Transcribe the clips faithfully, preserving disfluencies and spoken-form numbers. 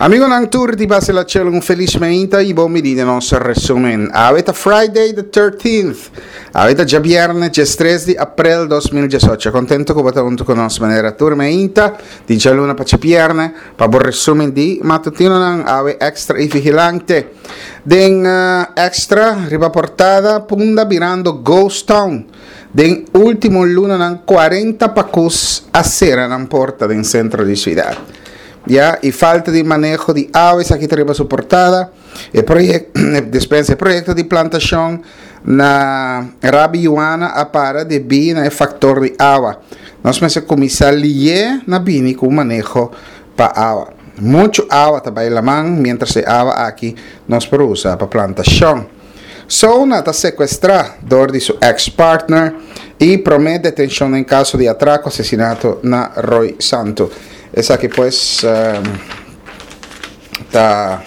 Amigonan tur di Basila Chelo, un felis mainta i bon bini den nos resumen. Awe ta Friday the thirteenth. Awe ta djabièrnè, diestres di aprel dos mil diesocho. Kontentu ku bo ta huntu ku nos manera tur mainta di djaluna pa djabièrnè pa bo resumen di matutinonan awe Extra i Vigilante. Den Extra riba portada, Punda birando ghost town. Den último lunanan kuarenta pakus a sera nan porta den sentro di siudat. Ya, y falta di maneho di awa, esaki ta riba su portada. E proyecto, dispensa, e proyecto di plantacion na Rabi Yuana a para debí na e factor di awa. Nos mester cuminsa lié na bini cu maneho pa awa. Mucho awa ta bay laman, mientras e awa aki nos por usa pa plantacion. Sona ta secuestra door di su ex-partner y prome detencion den caso di atraco asesinato na Roy Santo. Esaki pues ta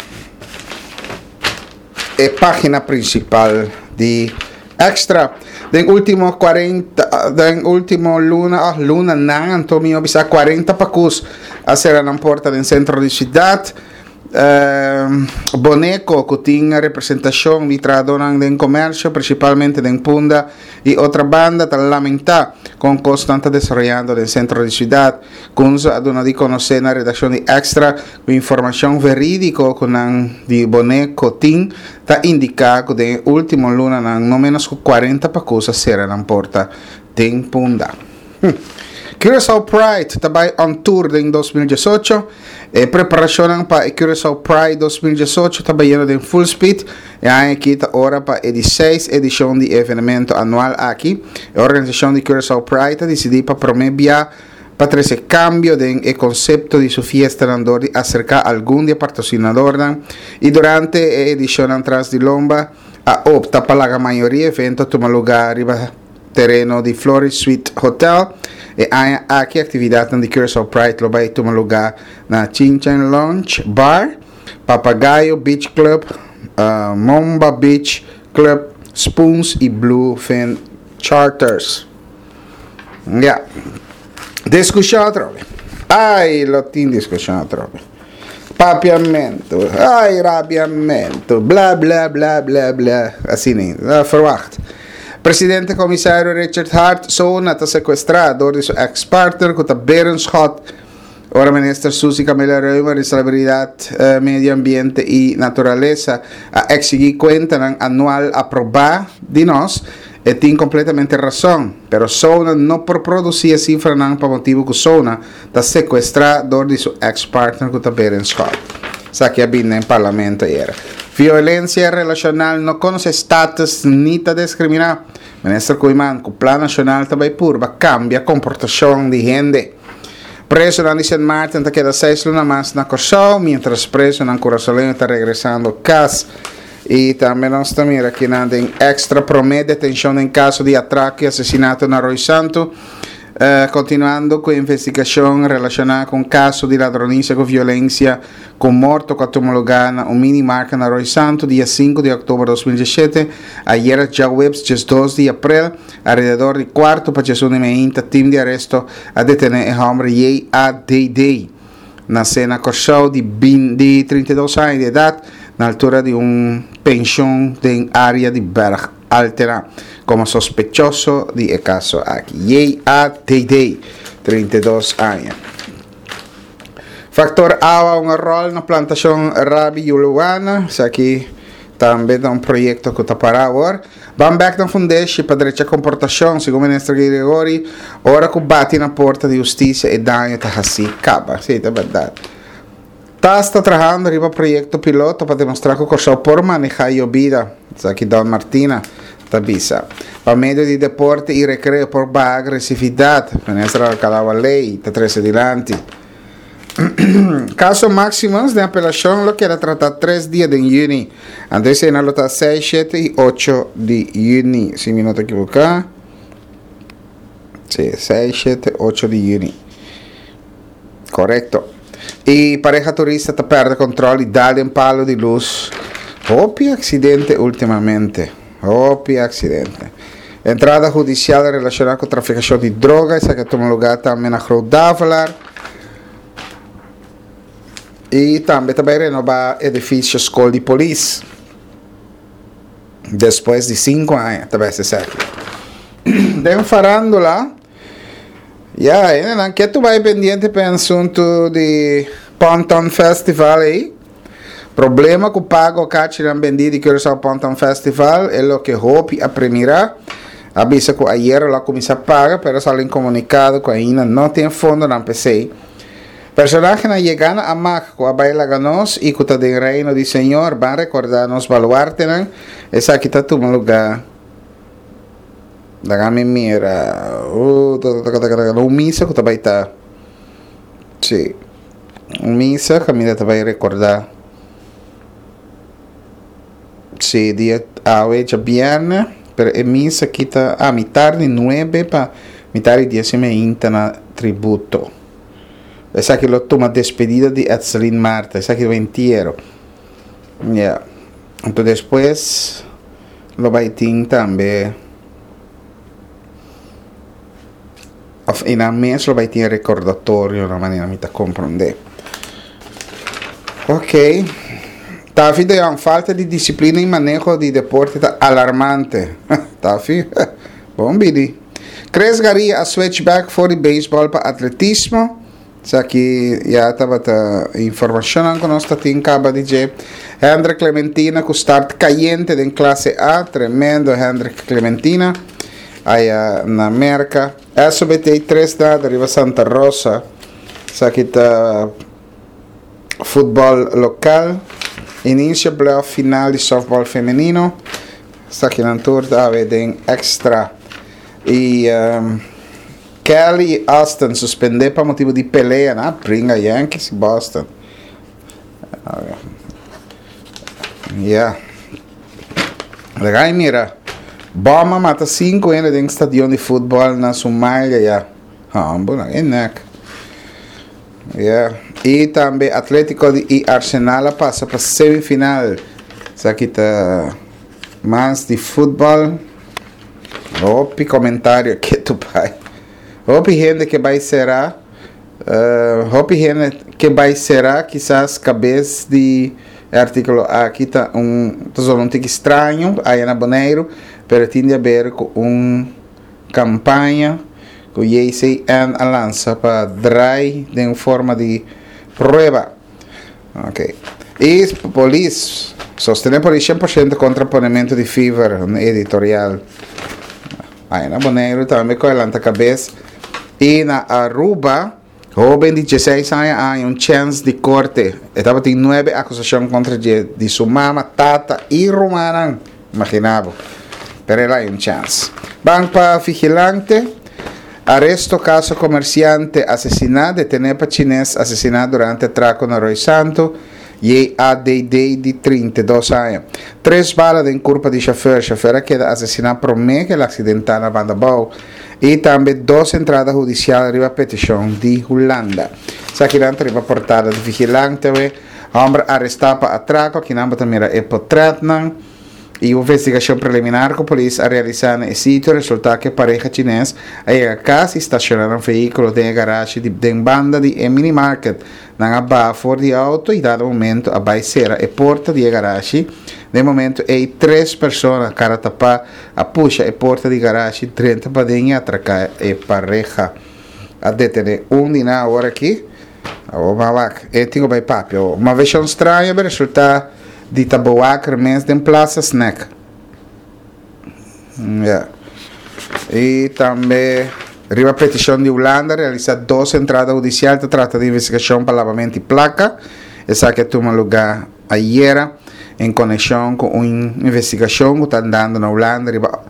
e pagina principal di Extra. Den ultimo cuarenta, den ultimo luna, ah, luna nan, anto mi bisa cuarenta pakus a cera nan porta den centro di ciudad. Uh, Boneco, ku tin representacion di trahadornan den comercio, principalmente den Punda y Otrabanda, ta lamenta con cos ta desaroyando den centro di ciudad. Kunzo a duna di conoce na redaccion di Extra cu informacion veridico cu nan di Boneco tin ta indica cu den ultimo lunanan no menos cu cuarenta pakus a cera nan porta den Punda. Hm. Curaçao Pride ta bai on tour den dos mil diesocho. E preparacionnan pa e Curaçao Pride dos mil diesocho ta bayendo den full speed. E aña aki ta ora pa e di seis edicion di e evenemento anual aki. E organisacion di Curaçao Pride a dicidi pa prome bia pa trece cambio den e concepto di su fiestanan dor di acerca algun di e patrocinadornan y durante e edicionnan tras di lomba a opta pa laga mayoria evento tuma lugar riba tereno di Floris Suite Hotel. E aña aki actividadnan di Curaçao Pride lo bay tuma lugar na Chin Chin Lounge Bar, Papagayo Beach Club, uh, Momba Beach Club, Spoons y Bluefin Charters. Ja. Discusion atrobe. Ai, lo tin discusion atrobe. Papiamento. Ai, rabiamento. Bla, bla, bla, bla, bla. Asina ni. Uh, verwacht. Presidente comisario Richard Hart Sona ta secuestra door di su ex-partner cu ta Berenschot. Ora minister Suzy Camelia Römer di Salubridad, eh, Medio Ambiente y Naturalesa a exigi cuentanan anual aproba di nos, e tin completamente razon, pero Sona no por produci e cifranan pa motibo cu Sona ta secuestra door di su ex-partner cu ta Berenschot. Esaki a bin den parlamento ayera. Violencia relacional no conoce status ni ta discrimina. Minister Koeiman, cu Plan Nacional ta bay purba cambia comportacion di hende. Presonan di Sint Maarten ta keda seis luna mas na Corsou, mientras presonan curasoleño ta regresando cas. Y tambe nos ta mira aki na den Extra prome detencion den caso di atraco y asesinato na Roy Santo. Eh, continuando cu investigacion relaciona cu caso di ladronicia cu violencia cu morto cu a tuma lugar na un minimarket na Roy Santo dia cinco di october dos mil diesisiete, ayera djaweps diesdos di april, alrededor di cuarto pa diesun di meinta, team di aresto a detene e homber J A D D, nace na Corsou di bin-, di trinta i dos aña di edad, na altura di un pension den area di Berg Altena, como sospechoso di e caso aki. J A D D, trinta i dos aña. Factor awa un rol na plantacion Rabi Yuluana, esaki tambe ta un proyecto cu ta para awor. Ban back na fundeshi pa drecha comportacion, segun minister Girigorie, ora cu bati na porta di husticia e daño ta haci caba. Si, ta berdad. Tas ta trahando riba proyecto piloto pa demostra cu Corsou por maneha yobida. Esaki Don Martina ta bisa. Pa medio di deporte y recreo por baha agresividad. Minister Alcalá-Wallé ta trece dilanti. Caso Maximus de apelacion lo keda trata tres dia den juni. Antes esey lo ta seis, siete y ocho di juni, si mi no ta equivoca. Si, seis, siete, ocho di juni. Correcto. Y pareha turista ta perde control y dal den palo di luz. Hopi accidente ultimamente. Hopi accidente. Entrada judicial relaciona cu traficacion di droga. Esaki a tuma lugar tambe na Groot Davelaar. I tambe ta bai renobá edifisio Skol di Polis. Despues di sinku aña ta bai esaki. Den farándula, ya, hendenan ke tur bai pendiente pa e asuntu di Ponton Festival ei. Problema ku pago kachinan bendí di Curaçao Ponton Festival e loke hopi a premirá. A bisa ku ayera lo a kuminsá paga, pero a sali un komunikado ku ainda no tin fondonan p'esei. Personahenan yegá na Amak ku a bai laga nos i ku ta den Reino di Señor ban rekordá nos baluartenan. Esaki ta tuma lugá. Laga mi mira. Un misa ku ta bai ta. Sí. Un misa kaminda ta bai rekordá. Sí, dia awe djabièrnè, pero e misa aki ta a mitar di nuebe pa mitar di dies i meinta na Tributo. Esaki lo tuma despedida di Edselyn Martha, esaki lo entiero. Ya. Anto despues lo bai tin tambe of einan mes lo bai tin e recordatorio na manera mi ta comprende. Ok. Taffy de Jong, falta di disciplina y maneho di deporte ta alarmante. Taffy, bon bini. Chris Garia a switch back for di baseball pa atletismo. Esaki ya tabata informacionnan cu nos ta tin caba di dje. Hendrik Clementina cu start cayente den clase A. Tremendo Hendrik Clementina aya na Merca. S O B T tres nada riba Santa Rosa. Esaki ta futbol local. Inicio playoff final di softball femenino. Esakinan tur ta awe den Extra. Y Kelly y Austin suspende pa motibo di pelea na bringa Yankees y Boston. Ya. Laga y mira. Bom a mata cinco hende den stadion di futbol na Somalia ya. Hambo na e nek. Ya. Y tambe Atletico di y Arsenal a pasa pa semifinal. Esaki ta mas di futbol. Hopi comentario ke tu bai. Hopi hende ke bai sera. Uh, hopi hende ke bai sera, kisas kabes di e artíkulo aki ta un ta solo un tiki straño aya na Boneiru, pero tin di haber ku un kampaña ku J C N a lansa pa drai den forma di prueba. Ok. I polis, sostené polis shen por shento kontra ponementu di fever, un editorial. Aya na Boneiru tambe ku a lanta kabes. I na Aruba, hóben di dieseis aña a haña un chèns di korte. E tabatin nuebe akusashon kontra dje di su mama, tata i rumannan. Imaginá bo. Pero el a haña un chèns. Ban pa Vigilante. Aresto kaso komersiante asesiná, detené pa chines asesiná durante atrako na Rooi Santu, J A D D di trinta i dos aña. Tres bala den kurpa di shofèr. Shofèr a keda asesiná promé ku el aksidentá na banda bou. I tambe dos entrada hudisial riba petishon di Hulanda. Esakinan ta riba portada di Vigilante awe. Hòmber arestá pa atrako. Akinan bo ta mira e potrètnan. I un investigashon preliminar ku polis a realisá na e sitio resultá ku e pareha chines a yega kas i stashoná nan vehíkulo den e garashi di den banda di e minimarket. Nan a baha for di e outo i dado momento a bai sera e porta di e garashi. Den e momento ei tres persona kara tapá a pusha e porta di garashi drenta paden i atraká e pareha. A detené un di nan awor aki. Awor bo a wak e tin ku bai papia awor. Un maveshon straño a resultá di ta bewaker mes den Plaza Snack. Ya. I tambe riba petishon di Hulanda realisa dos entrada hudisial ta trata di investigashon pa labamento di plaka. Esaki a tuma lugá ayera en konekshon ku un investigashon ku ta andando na Hulanda riba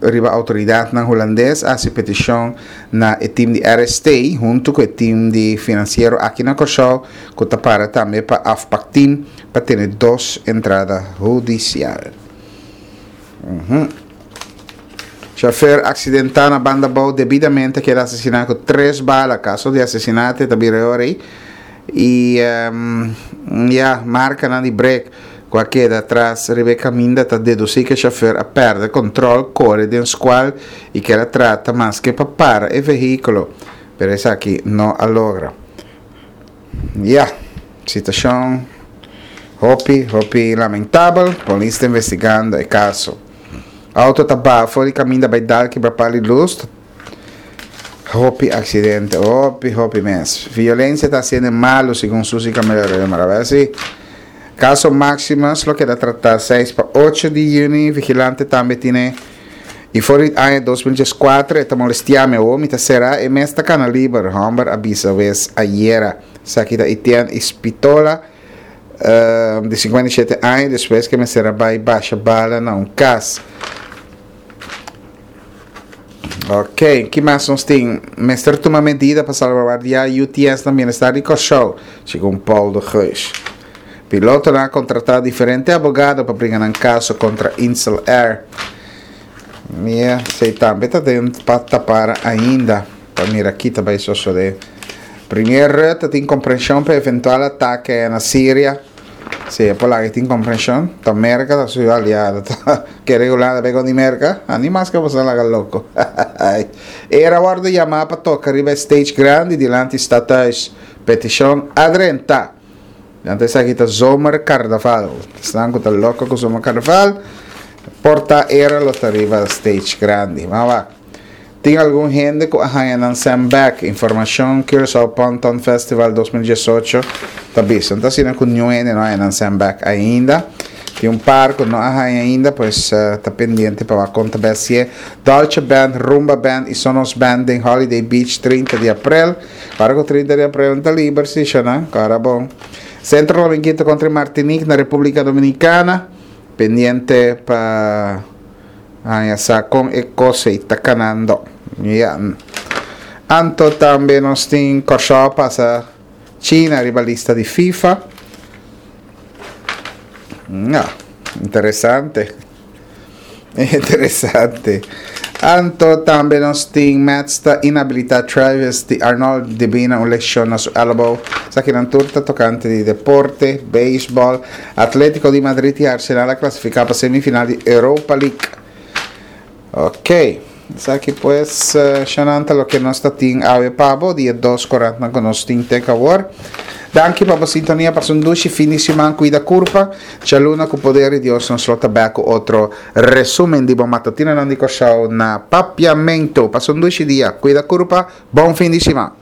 riba outoridatnan hulandes a hasi petishon na e tim di R S T huntu ku e tim di finansiero aki na Kòrsou ku ta para tambe pa afpakteam pa tene dos entrada hudisial. Chofer aksidentá na banda bou debidamente a keda asesiná ku tres bala. Kaso di asesinate ta bira e ora ei. I ya, markanan di brek ku a keda atras riba e kaminda ta dedusí ku e chofer a pèrdè kontròl, kore den skual i ker a trata maske pa para e vehíkulo, pero esaki no a logra. Ya, Situashon hopi, hopi lamentabel. Polis ta investigando e kaso. Outo ta baha for di kaminda bai dal kibra palo di lus. Hopi aksidente, hopi, hopi mes. Violensia ta hasiendo malu, segun Susi Camelia-Römer. Si. Kaso Maximus lo keda tratá seis pa ocho di yüni. Vigilante tambe tin i for di aña dos mil dieskuater e ta molestiá mi awor mi ta será e mes ta kana liber, hòmber a bisa wes ayera. Esaki ta Etienne Ispitola di sinkuenta i shete aña despues ku e mester a bai basha bala na un kas. Ok, ki mas nos tin? Mester tuma medida pa salvaguardiá U T S na bienestar di Kòrsou, segun Paul de Geus. Pilotonan a kontratá diferente abogado pa bringa nan kaso kontra Insel Air. Mia, esei tambe ta den pa tapar ainda, pa mira ki ta bai sosodé. Premier Rutte tin komprenshon pa eventual atake na Siria. Si e por laga tin komprenshon, ta Merka ta su aliado, ta kere Hulanda bai kontra Merka? A ni mas ke boso laga loko. Era wòrdu yamá pa toka riba e stage grandi dilanti Stadhuis. Petishon a drenta. Anto esaki ta zomercarnaval. Esnan ku ta loko ku zomercarnaval, por ta era lo ta riba stage grandi. Mas wak. Tin algun hende ku a haña nan sèn bèk. Informashon Curaçao Ponton Festival dos mil diesocho ta bisa. No ta asina ku niun hende no a haña nan sèn bèk ainda. Tin un par ku no a haña ainda, pues ta pendiente pa wak kon ta bèst sié. Dolce Band, Rumba Band i Sonos Band den Holiday Beach trinta di aprel. Ora ku trinta di aprel no ta liber si, shona. Kòrda bon. Centro Dominguito kontra Martinique na Repúblika Dominikana. Pendiente pa haña sa kon e kos ei ta kanando. Ya. Anto tambe nos tin Kòrsou a pasa China riba lista di FIFA. Ya, interesante. Interesante. Anto tambe nos tin Mets ta inhabilita Travis di Arnold debí na un leshon na su elbow. Esakinan tur ta tokante di deporte, beisbòl. Atletico di Madrid i Arsenal a klasifiká pa semifinal di Europa League. Ok. Esaki pues shanan ta loke nos ta tin awe pa bo di e dos korantnan ku nos tin tek awor. Danki pa bo sintonia, pasa un dushi fin di siman, kuida kurpa. Djaluna ku poder di Dios nos lo ta bek ku otro resumen di bo matutinonan di Kòrsou na Papiamentu. Pasa un dushi dia, kuida kurpa, bon fin di siman.